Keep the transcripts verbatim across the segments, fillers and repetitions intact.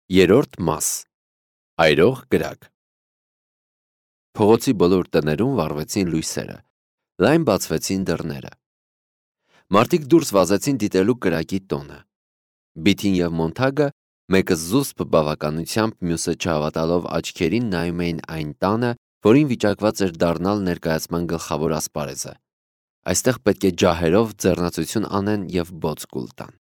Երրորդ մաս. Այրող կրակ. Փողոցի բոլոր տներում վառվեցին լույսերը, լայն բացվեցին դռները։ Մարդիկ դուրս վազեցին դիտելու կրակի տոնը։ Բիթին և Մոնթագը, մեկը զուսպ բավականությամբ, մյուսը չհավատալով աչքերին նայում էին այն տանը, որին վիճակված էր դառնալ ներկայացման գլխավոր ասպարեզը։ Այստեղ պետք է ջահերով ձեռնացություն անեն և բոց կուլ տան։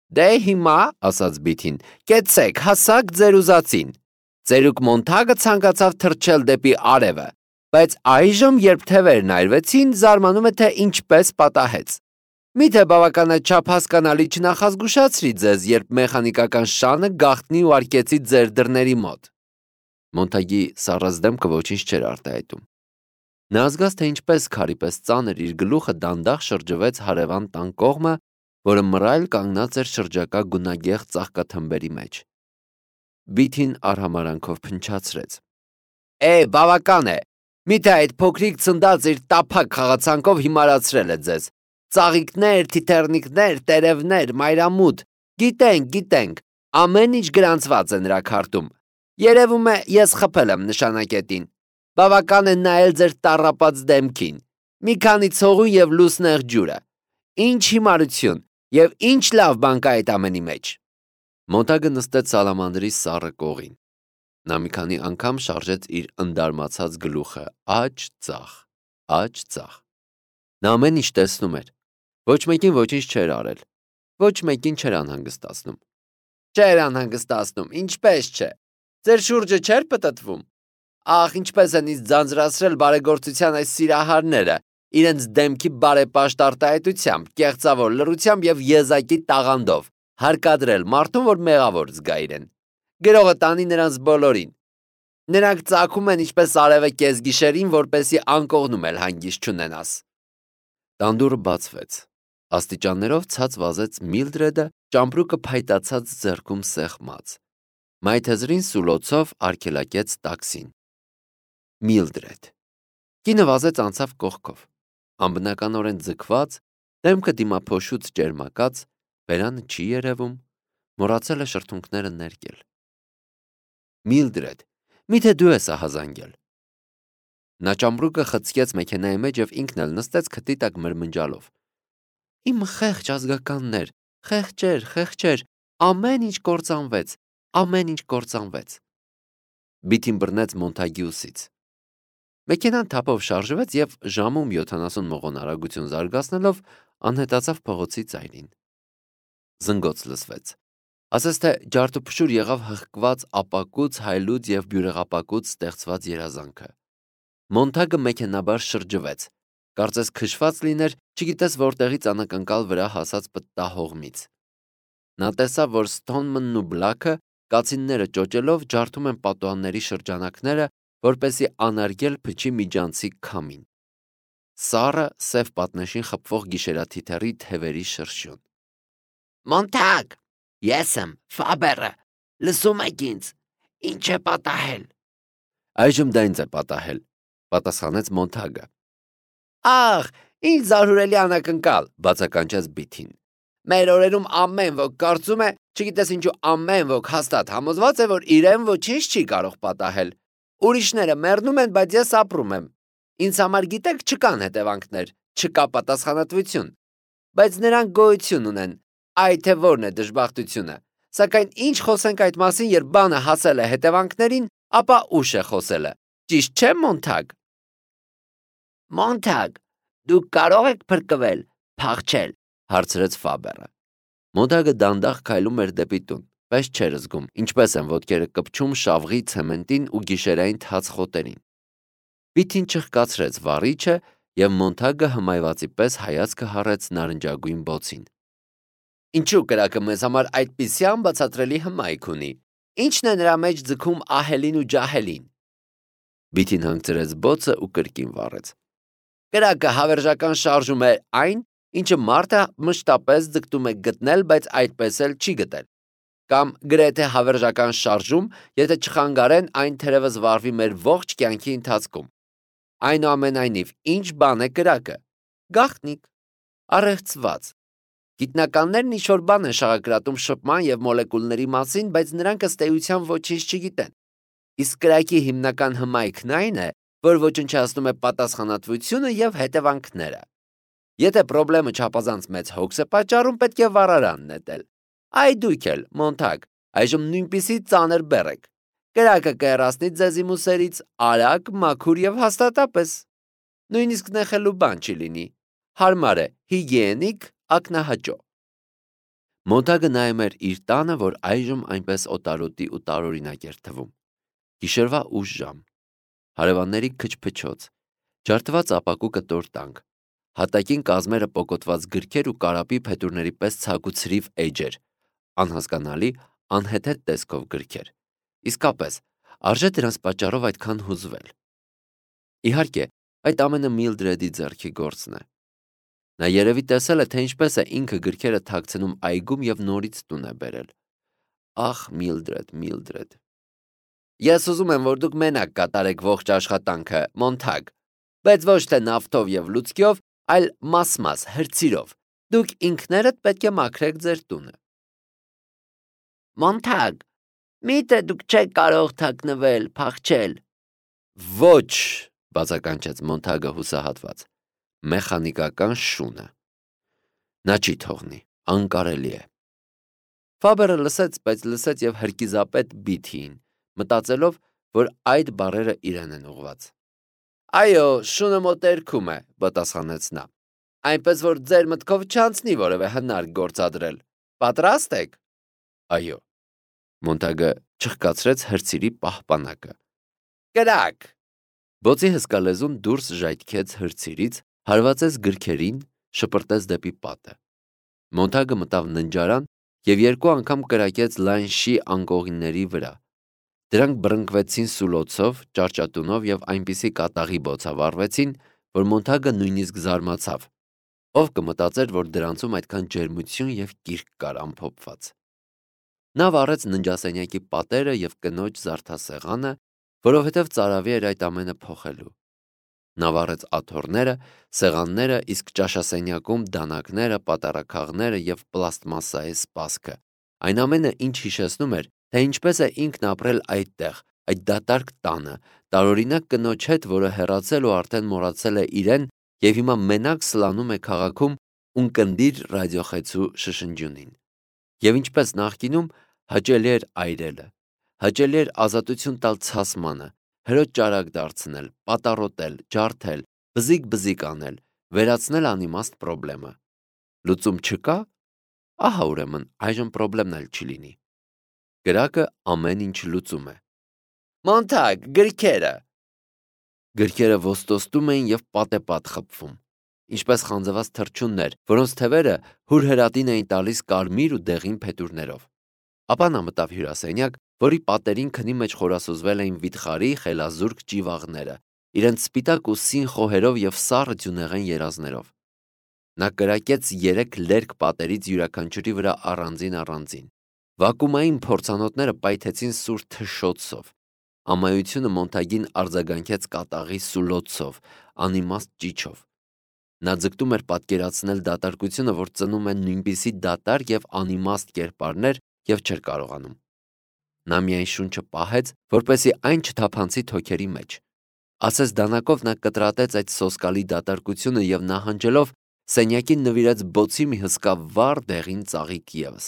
Դե հիմա, ասաց Բիթին, կեցեք, հասաք ձեր ուզածին։ Ծերուկ Մոնթագը ցանկացավ թռչել դեպի արևը, բայց այժմ, երբ թևերն այրվեցին, զարմանում է, թե ինչպես պատահեց։ Միթե բավականաչափ հասկանալի չնախազգուշացրի ձեզ, երբ մեխանիկական շանը գաղտնի ու արկեցի ձեր դռների մոտ։ Մոնթագի սառած դեմքը ոչինչ չէր արտահայտում։ Նա զգաց, թե ինչպես քարի պես ծանր իր գլուխը դանդաղ շրջվեց հարևան տան կողմը, որը մռայլ կանգնած էր շրջակա գունագեղ ծաղկաթմբերի մեջ։ Բիթին արհամարանքով փնչացրեց. Է, բավական է, միթե այդ փոքրիկ ցնդած իր տափակ խաղացանկով հիմարացրել է ձեզ։ Ծաղիկներ, թիթեռնիկներ, տերևներ, մայրամուտ, գիտենք, գիտենք, ամեն ինչ գրանցված է նրա քարտում։ Երևում է, ես խփել եմ նշանակետին։ Բավական է նայել ձեր տառապած դեմքին։ Մի քանի ցողուն և լուսնեղ ջուրը։ Ինչ հիմարություն և ինչ լավ բան կա այդ ամենի մեջ։ Մոնթագը նստեց սալամանդրի սառը կողին։ Նա մի քանի անգամ շարժեց իր ընդարմացած գլուխը աջ ձախ, աջ ձախ։ Նա ամեն ինչ տեսնում էր։ Ոչ մեկին ոչինչ չէր արել։ Ոչ մեկին չէր անհանգստացնում։ Չէր անհանգստացնում, ինչպես չէ։ Ձեր շուրջը չէր պտտվում։ Ախ, ինչպես են ինձ ձանձրացրել բարեգործության այս սիրահարները, իրենց դեմքի բարեպաշտ արտահայտությամբ, կեղծավոր լռությամբ և եզակի տաղանդով, հարկադրել մարդուն, որ մեղավոր զգա իրեն։ Գրողը տանի նրանց բոլորին։ Նրանք ծագում են ինչպես արևը կեսգիշերին, որպեսզի անկողնում էլ հանգիստ չունենաս։ Տան դուռը բացվեց։ Աստիճաններով ցած վազեց Միլդրեդը, ճամպրուկը փայտացած ձեռքում սեղմած։ Մայթեզրին սուլոցով արգելակեց տաքսին։ Միլդրեդ։ Կինը վազեց անցավ կողքով, անբնականորեն ձգված, դեմքը դիմափոշուց ճերմակած, բերանը չի երևում, մոռացել է շրթունքները ներկել։ Միլդրեդ, միթե դու ես ահազանգել։ Նա ճամպրուկը խցկեց մեքենայի մեջ և ինքն էլ նստեց քթի տակ մրմնջալով։ Իմ խեղճ ազգականներ, խեղճեր, խեղճեր, ամեն ինչ կործանվեց, ամեն ինչ կործանվեց։ Բիթին բռնեց Մոնթագի ուսից։ Մեքենան թափով շարժվեց և ժամում յոթանասուն մղոն արագություն զարգացնելով անհետացավ փողոցի ծայրին։ Զնգոց լսվեց։ Ասես թե ջարդուփշուր եղավ հղկված ապակուց, հայլուց և բյուրեղապակուց ստեղծված երազանքը։ Մոնթագը մեքենաբար շրջվեց, կարծես քշված լիներ, չգիտես որտեղից անակնկալ վրա հասած պտտահողմից։ Նա տեսավ, որ Սթոնմանն ու Բլաքը կացինները ճոճելով ջարդում են պատուհանների շրջանակները, որպեսզի անարգել փչի միջանցիկ քամին։ Սառը սև պատնեշին խփվող գիշերաթիթեռի թևերի շրշյուն։ Մոնթագ, ես եմ, Ֆաբերը, լսում եք ինձ, ինչ է պատահել։ Այժմ դա ինձ է պատահել, պատասխանեց Մոնթագը։ Ախ, ինչ զարհուրելի անակնկալ, բացականչեց Բիթին։ Մեր օրերում ամեն ոք կարծում է, չգիտես ինչու ամեն ոք հաստատ համոզված է, որ իրեն ոչինչ չի կարող պատահել։ Ուրիշները մեռնում են, բայց ես ապրում եմ։ Ինձ համար գիտեք չկան հետևանքներ, չկա պատասխանատվություն։ Բայց նրանք գոյություն ունեն, այ թե որն է դժբախտությունը։ Սակայն ինչ խոսենք այդ մասին, երբ բանը հասել է հետևանքներին, ապա ուշ է խոսելը։ Ճիշտ չէ, Մոնթագ։ Մոնթագ, դուք կարող եք փրկվել, փախչել, հարցրեց Ֆաբերը։ Մոնթագը դանդաղ քայլում էր դեպի տուն, բայց չէր զգում, ինչպես են ոտքերը կպչում շավղի ցեմենտին ու գիշերային թաց խոտերին։ Բիթին չխկացրեց վառիչը, և Մոնթագը հմայվածի պես հայացքը հառեց նարնջագույն բոցին։ Ինչու կրակը մեզ համար այդպիսի անբացատրելի հմայք ունի։ Ինչն է նրա մեջ ձգում ահելին ու ջահելին։ Բիթին հանգցրեց բոցը ու կրկին վառեց։ Կրակը հավերժական շարժում է այն, ինչը մարդը մշտապես ձգտում է գտնել, բայց այդպես էլ չի գտել։ Կամ գրեթե հավերժական շարժում, եթե չխանգարեն, այն թերևս վառվի մեր ողջ կյանքի ընթացքում։ Այնուամենայնիվ, ինչ բան է կրակը։ Գաղտնիք, առեղծված, Գիտնականներն ինչ-որ բան են շաղակրատում շփման և մոլեկուլների մասին, բայց նրանք ըստ էության ոչինչ չգիտեն։ Իսկ կրակի հիմնական հմայքն այն է, որ ոչնչացնում է պատասխանատվությունը և հետևանքները։ Եթե պրոբլեմը չափազանց մեծ հոգս է պատճառում, պետք է վառարան նետել։ Այ դուք էլ, Մոնթագ, այժմ նույնպիսի ծանր բեռ եք։ Կրակը կհեռացնի ձեզ իմ ուսերից արագ, մաքուր և հաստատապես։ Նույնիսկ նեղելու բան չի լինի։ Հարմար է, հիգիենիկ, ակնահաճո։ Մոնթագը նայում էր իր տանը, որ այժմ այնպես օտարոտի ու տարօրինակ էր թվում։ Գիշերվա ուշ ժամ, հարևանների քչփչոց, ջարդված ապակու կտոր տանք, հատակին կազմերը պոկոտված գրքեր ու կարապի փետուրների պես ցագուցրիվ էջեր, անհասկանալի, անհեթեթ տեսքով գրքեր։ Իսկապես, արժե դրանց պատճառով այդքան հուզվել։ Իհարկե, այդ ամենը Միլդրեդի ձեռքի գործն է։ Նա երևի տեսել է, թե ինչպես է ինքը գրքերը թաքցնում այգում և նորից տուն է բերել։ Ախ, Միլդրեդ, Միլդրեդ։ Ես ուզում եմ, որ դուք մենակ կատարեք ողջ աշխատանքը, Մոնթագ, բայց ոչ թե նավթով և լուցկիով, այլ մաս-մաս, հրցիրով։ Դուք ինքներդ պետք է մաքրեք ձեր տունը։ Մոնթագ, միթե դուք չեք կարող թաքնվել, փախչել։ Ոչ, բացականչեց Մոնթագը հուսահատված։ Մեխանիկական շունը։ Նա չի թողնի, անկարելի է։ Ֆաբերը լսեց, բայց լսեց և հրկիզապետ Բիթիին, մտածելով, որ այդ բառերը իրեն են ուղված։ Այո, շունը մոտերքում է, պատասխանեց նա։ Այնպես որ ձեր մտքով չանցնի որևէ հնարք գործադրել։ Պատրաստ եք։ Այո։ Մոնթագը չխկացրեց հրցիրի պահպանակը։ Կրակ։ Բոցի հսկա լեզուն դուրս ժայթքեց հրցիրից, հարվածեց գրքերին, շպրտեց դեպի պատը։ Մոնթագը մտավ ննջարան և երկու անգամ կրակեց լայն շի անկողինների վրա։ Դրանք բռնկվեցին սուլոցով, ճարճատունով և այնպիսի կատաղի բոցավառվեցին, որ Մոնթագը նույնիսկ զարմացավ։ Ով կմտածեր, որ դրանցում այդքան ջերմություն և կիրք կար ամփոփված։ Նա վառեց ննջասենյակի պատերը և կնոջ զարդասեղանը, որովհետև ծարավի էր այդ ամենը փոխելու։ Նա վառեց աթոռները, սեղանները, իսկ ճաշասենյակում դանակները, պատառաքաղները և պլաստմասսայի սպասքը։ Այն ամենը, ինչ հիշեցնում էր, թե ինչպես է ինքն ապրել այդտեղ, այդ դատարկ տանը, տարօրինակ կնոջ հետ, որը հեռացել ու արդեն մոռացել է իրեն և հիմա մենակ սլանում է քաղաքում ունկնդիր ռադիոխեցու շշնջյունին։ Եվ ինչպես նախկինում, հաճելի էր այրելը, հաճելի էր ազատություն տալ ցասմանը, հրոջ ճարակ դարձնել, պատառոտել, ջարդել, բզիկ-բզիկ անել, վերացնել անիմաստ պրոբլեմը։ Լուծում չկա։ Ահա ուրեմն այժմ պրոբլեմն էլ չի լինի։ Կրակը ամեն ինչ լուծում է։ Մոնթագ, գրքերը։ Գրքերը ոստոստում էին և պատեպատ խփվում, ինչպես խանձված թռչուններ, որոնց թևերը հուրհրատին էին տալիս կարմիր ու դեղին փետուրներով։ Ապա նա մտավ հյուրասենյակ, որի պատերին քնի մեջ խորասուզվել էին վիթխարի խելազուրկ ճիվաղները, իրենց սպիտակ ու սին խոհերով և սառը ձյունեղեն երազներով։ Նա կրակեց երեք լերկ պատերից յուրաքանչյուրի վրա առանձին-առանձին։ Վակուումային փորձանոթները պայթեցին սուր թշշոցով։ Ամայությունը Մոնթագին արձագանքեց կատաղի սուլոցով, անիմաստ ճիչով։ Նա ձգտում էր պատկերացնել դատարկությունը, որ ծնում է նույնպիսի դատարկ և անիմաստ կերպարներ և չէր կարողանում։ Նա միայն շունչը պահեց, որպեսզի այն չթափանցի թոքերի մեջ։ Ասես դանակով նա կտրատեց այդ սոսկալի դատարկությունը և նահանջելով սենյակին նվիրեց բոցի մի հսկա վառ դեղին ծաղիկ ևս։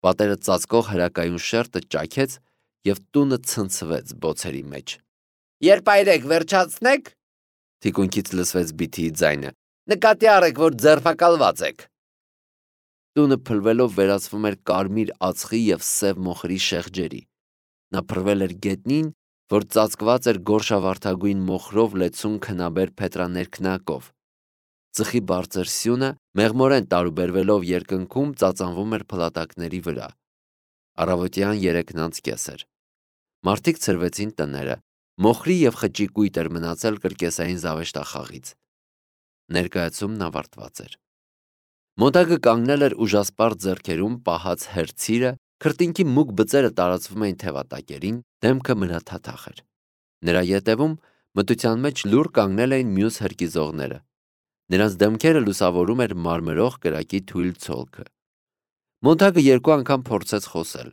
Պատերը ծածկող հրակայուն շերտը ճաքեց և տունը ցնցվեց բոցերի մեջ։ Երբ այրեք, վերջացնեք, թիկունքից լսվեց Բիթիի ձայնը։ Նկատի առեք, որ ձերբակալված եք։ Տունը փլվելով վերածվում էր կարմիր ածխի և սև մոխրի շեղջերի։ Նա փռվել էր գետնին, որ ծածկված էր գորշավարդագույն մոխրով լեցուն քնաբեր փետրաներքնակով։ Ծխի բարձր սյունը, մեղմորեն տարուբերվելով երկնքում, ծածանվում էր փլատակների վրա։ Առավոտյան երեքն անց կես էր։ Մարդիկ ցրվեցին տները, մոխրի և խճի կույտ էր մնացել կրկեսային զավեշտախաղից։ Ներկայացումն ավարտված էր։ Մոնթագը կանգնել էր ուժասպառ ձեռքերում պահած հերցիրը, քրտինքի մուգ բծերը տարածվում էին թևատակերին, դեմքը մրաթաթախ էր։ Նրա ետևում մթության մեջ լուռ կանգնել էին մյուս հրկիզողները։ Նրանց դեմքերը լուսավորում էր մարմրող կրակի թույլ ցոլքը։ Մոնթագը երկու անգամ փորձեց խոսել։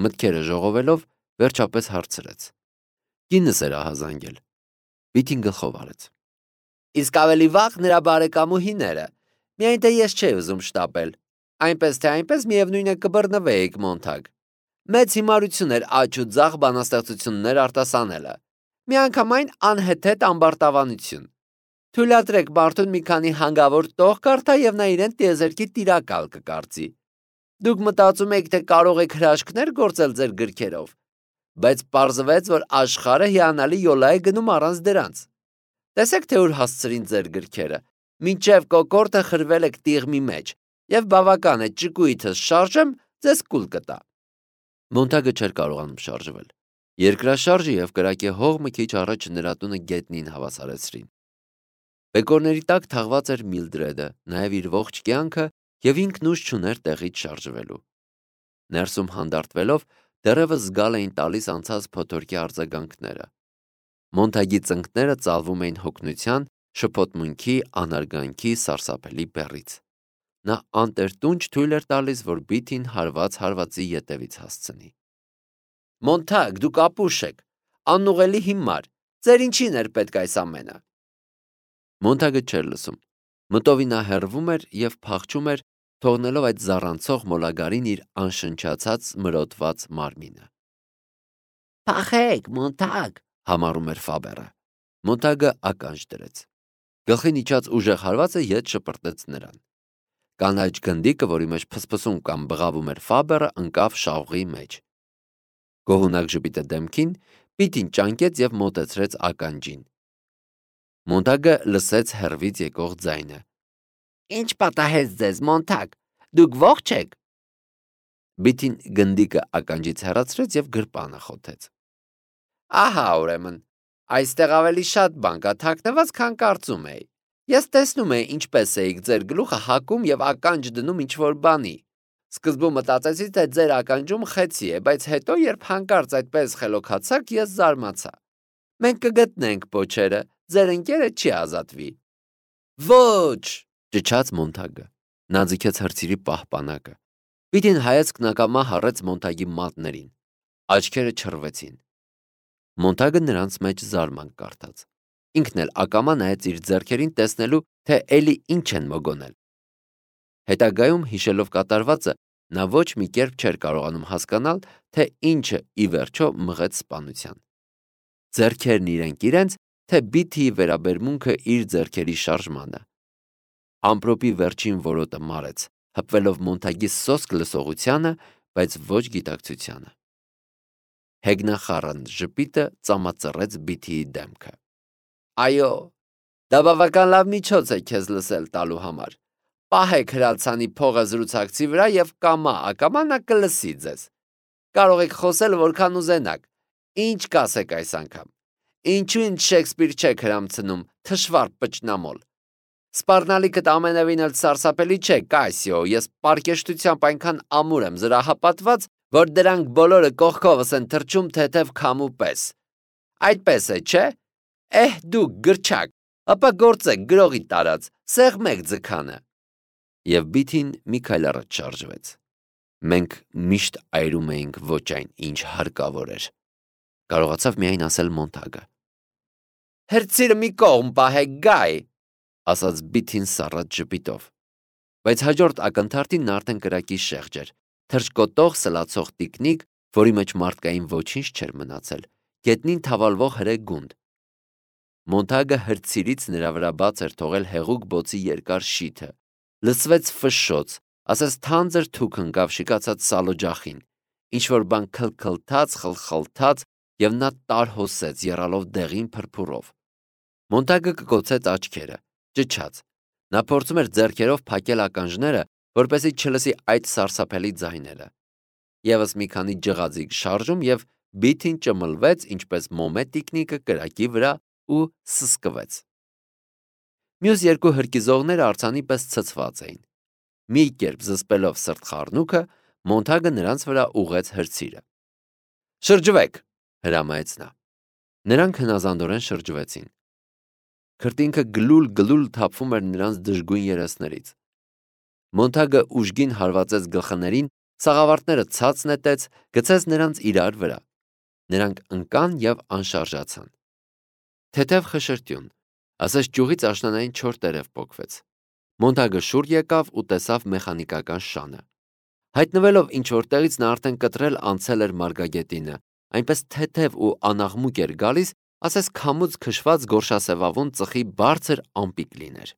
Մտքերը ժողովելով, վերջապես հարցրեց. «Կինս էր ահազանգել»։ Բիթին գլխով արեց։ «Իսկ ավելի վաղ նրա բարեկամուհիները, միայն թե ես չէի ուզում շտապել, այնպես թե այնպես միևնույն է կբռնվեիք, Մոնթագ։ Մեծ հիմարություն էր աջ ու ձախ բանաստեղծություններ արտասանելը, միանգամայն անհեթեթ ամբարտավանություն։ Թույլատրեք մարդուն մի քանի հանգավոր տող կարդա և նա իրեն տիեզերքի տիրակալ կկարծի։ Դուք մտածում եք, թե կարող եք հրաշքներ գործել ձեր գրքերով, բայց պարզվեց, որ աշխարհը հիանալի յոլա է գնում առանց դրանց։ Տեսեք, թե ուր հասցրին ձեր գրքերը, մինչև կոկորդը խրվել եք տիղմի մեջ, և բավական է ճկույթս շարժեմ, ձեզ կուլ կտա։ Մոնթագը չէր կարողանում շարժվել։ Երկրաշարժը և կրակի հողմը քիչ առաջ նրա տունը գետնին հավասարեցրին։ Բեկորների տակ թաղված էր Միլդրեդը, նաև իր ողջ կյանքը, և ինքն ուժ չուներ տեղից շարժվելու։ Ներսում հանդարտվելով դեռևս զգալ էին տալիս անցած փոթորկի արձագանքները։ Մոնթագի ծնկները ծալվում էին հոգնության, շփոթմունքի, անարգանքի, սարսափելի բեռից։ Նա անտերտունջ թույլ էր տալիս, որ Բիթին հարված հարվածի ետևից հասցնի։ Մոնթագ, դուք ապուշ եք, անուղելի հիմար, ձեր ինչին էր պետք այս ամենը։ Մոնթագը չէր լսում։ Մտովի նա հեռվում էր և փախչում էր, թողնելով այդ զառանցող մոլագարին իր անշնչացած մրոտված մարմինը։ Փախեք, Մոնթագ, համառում էր Ֆաբերը։ Մոնթագը ականջ դրեց։ Գլխին իջած ուժեղ հարվածը ետ շպրտեց նրան։ Կանաչ գնդիկը, որի մեջ փսփսում կամ բղավում էր Ֆաբերը, ընկավ շաղուղի մեջ։ Գոհունակ ժպիտը դեմքին, Բիթին ճանկեց և մոտեցրեց ականջին։ Մոնթագը լսեց հեռվից եկող ձայնը. Ինչ պատահեց ձեզ, Մոնթագ, դուք ողջ եք։ Բիթին գնդիկը ականջից հեռացրեց և գրպանը խոթեց։ Ահա, ուրեմն, այստեղ ավելի շատ բան կա թաքնված, քան կարծում էի։ Ես տեսնում էի, ինչպես էիք ձեր գլուխը հակում և ականջ դնում ինչ-որ բանի։ Սկզբում մտածեցի, թե ձեր ականջում խեցի է, բայց հետո, երբ հանկարծ այդպես խելոքացաք, ես զարմացա։ Մենք կգտնենք պոչերը, ձեր ընկերը չի ազատվի։ Ոչ, ճչաց Մոնթագը։ Նա ձգեց հրցիրի պահպանակը։ Բիթին հայացքն ակամա հառեց Մոնթագի մատներին։ Աչքերը չռվեցին։ Մոնթագը նրանց մեջ զարմանք կարդաց։ Ինքն էլ ակամա նայեց իր ձեռքերին, տեսնելու, թե էլի ինչ են մոգոնել։ Հետագայում հիշելով կատարվածը, նա ոչ մի կերպ չէր կարողանում հասկանալ, թե ինչը ի վերջո մղեց սպանության։ Ձեռքերն իրենք իրենց, թե Բիթիի վերաբերմունքը իր ձեռքերի շարժմանը։ Ամպրոպի վերջին որոտը մարեց, հպվելով Մոնթագի սոսկ լսողությանը, բայց ոչ գիտակցությանը։ Հեգնախառն ժպիտը ծամածռեց Բիթիի դեմքը։ Այո, դա բավական լավ միջոց է քեզ լսել տալու համար։ Պահեք հրացանի փողը զրուցակցի վրա և կամա ակամա նա կլսի ձեզ։ Կարող եք խոսել որքան ուզենաք։ Ինչ կասեք այս անգամ։ Ինչու ինձ Շեքսպիր չեք հրամցնում, թշվառ պճնամոլ։ Սպառնալիքդ ամենևին էլ սարսափելի չէ, Կասիո, ես պարկեշտությամբ այնքան ամուր եմ զրահապատված, որ դրանք բոլորը կողքովս են թռչում թեթև քամու պես։ Այդպես է, չէ՞։ Էհ, դուք գրչակ, ապա գործեք գրողի տարած, սեղմեք ձգանը։ Եվ Բիթին մի քայլ առաջ շարժվեց։ Մենք միշտ այրում էինք ոչ այն, ինչ հարկավոր էր, կարողացավ միայն ասել Մոնթագը։ Հրցիրը մի կողմ պահեք, Գայ, ասաց Բիթին սառած ժպիտով։ Բայց հաջորդ ակնթարթին նա արդեն կրակի շեղջ էր, թռչկոտող սլացող տիկնիկ, որի մեջ մարդկային ոչինչ չէր մնացել, գետնին թավալվող հրե գունդ։ Մոնթագը հրցիրից նրա վրա բաց էր թողել հեղուկ բոցի երկար շիթը, լսվեց ֆշշոց, ասես թանձր թուք ընկավ շիկացած սալօջախին, ինչ-որ բան քլքլթաց, խլխլթաց, և նա տարհոսեց, եռալով դեղին փրփուրով։ Մոնթագը կկոցեց աչքերը, ճչաց։ Նա փորձում էր ձեռքերով փակել ականջները, որպեսզի չլսի այդ սարսափելի ձայները։ Եվս մի քանի ջղաձիգ շարժում և Բիթին ճմլվեց, ինչպես մոմե տիկնիկը կրակի վրա ու սսկվեց։ Մյուս երկու հրկիզողները արձանի պես ցցված էին։ Մի կերպ զսպելով սրտխառնուկը, Մոնթագը նրանց վրա ուղղեց հրցիրը։ Շրջվեք, հրամայեց նա։ Նրանք հնազանդորեն շրջվեցին։ Քրտինքը գլուլ-գլուլ թափվում էր նրանց դժգույն երեսներից։ Մոնթագը ուժգին հարվածեց գլխներին, սաղավարտները ցած նետեց, գցեց նրանց իրար վրա։ Նրանք ընկան և անշարժացան։ Թեթև խշրտյուն, ասես ճյուղից աշնանային չոր տերև պոկվեց։ Մոնթագը շուռ եկավ ու տեսավ մեխանիկական շանը։ Հայտնվելով ինչ-որ տեղից նա արդեն կտրել անցել էր մարգագետինը, այնպես թեթև ու անաղմուկ էր գալիս, ասես քամուց քշված գորշասևավուն ծխի բարձր ամպիկ լիներ։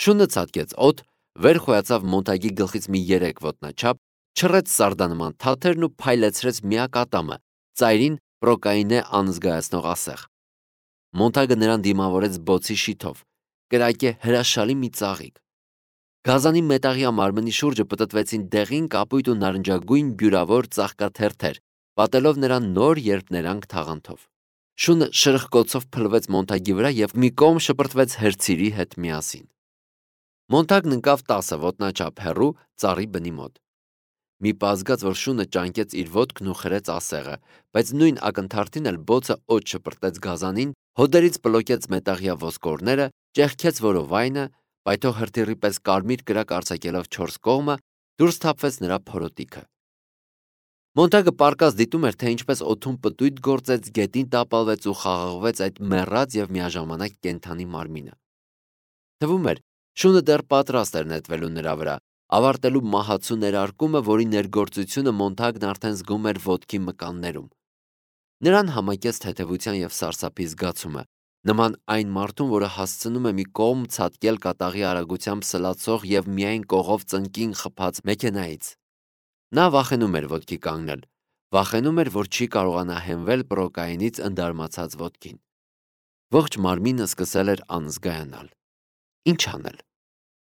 Շունը ցատկեց օդ, վեր խոյացավ Մոնթագի գլխից մի երեք ոտնաչափ, չռեց սարդանման թաթերն ու փայլեցրեց միակ ատամը, ծայրին պրոկայինե անզգայացնող ասեղ։ Մոնթագը նրան դիմավորեց բոցի շիթով, կրակե հրաշալի մի ծաղիկ։ Գազանի մետաղյա մարմնի շուրջը պտտվեցին դեղին կապույտ ու նարնջագույն բյուրավոր ծաղկաթերթեր, պատելով նրան նոր երփներանգ թաղանթով։ Շունը շրխկոցով փլվեց Մոնթագի վրա և մի կողմ շպրտվեց հրցիրի հետ միասին։ Մոնթագն ընկավ տասը ոտնաչափ հեռու ծառի բնի մոտ։ Մի պա զգաց, որ շունը ճանկեց իր ոտքն ու խրեց ասեղը, բայց նույն ակնթարթին էլ բոցը օդ շպրտեց գազանին, հոդերից պլոկեց մետաղյա ոսկորները, ճեղքեց որովայնը, պայթող հրթիռի պես կարմիր կրակ արձակելով չորս կողմը, դուրս թափվեց նրա փորոտիքը։ Մոնթագը պառկած դիտում էր, թե ինչպես օդում պտույտ գործեց, գետին տապալվեց ու խաղաղվեց այդ մեռած և միաժամանակ կենդանի մարմինը։ Թվում էր, շունը դեռ պատրաստ էր նետվելու նրա վրա, ավարտելու մահացու ներարկումը, որի ներգործությունը Մոնթագն արդեն զգում էր ոտքի մկաններում։ Նրան համակեց թեթևության և սարսափի զգացումը, նման այն մարդուն, որը հասցնում է մի կողմ ցատկել կատաղի արագությամբ սլացող և միայն կողով ծնկին խփած մեքենայից։ Նա վախենում էր ոտքի կանգնել, վախենում էր, որ չի կարողանա հենվել պրոկայինից ընդարմացած ոտքին։ Ողջ մարմինը սկսել էր անզգայանալ։ Ինչ անել։